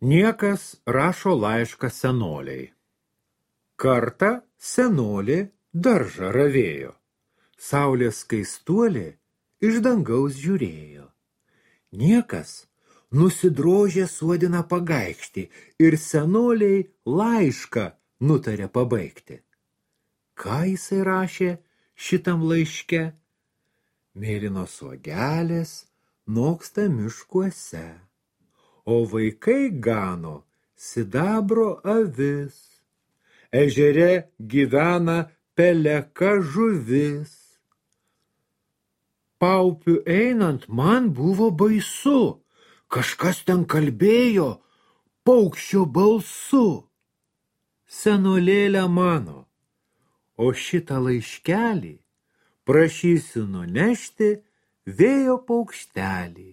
Niekas rašo laišką senoliai. Kartą senolė daržą ravėjo. Saulės skaistuolė iš dangaus žiūrėjo. Niekas nusidrožė suodiną pagaikštį ir senoliai laišką nutarė pabaigti. Ką jisai rašė šitam laiške? Mėlynos uogelės noksta miškuose, o vaikai gano sidabro avis. Ežere gyvena peleka žuvis. Paupiu einant man buvo baisu, kažkas ten kalbėjo paukščio balsu. Senolėlė mano, o šitą laiškelį prašysiu nunešti vėjo paukštelį.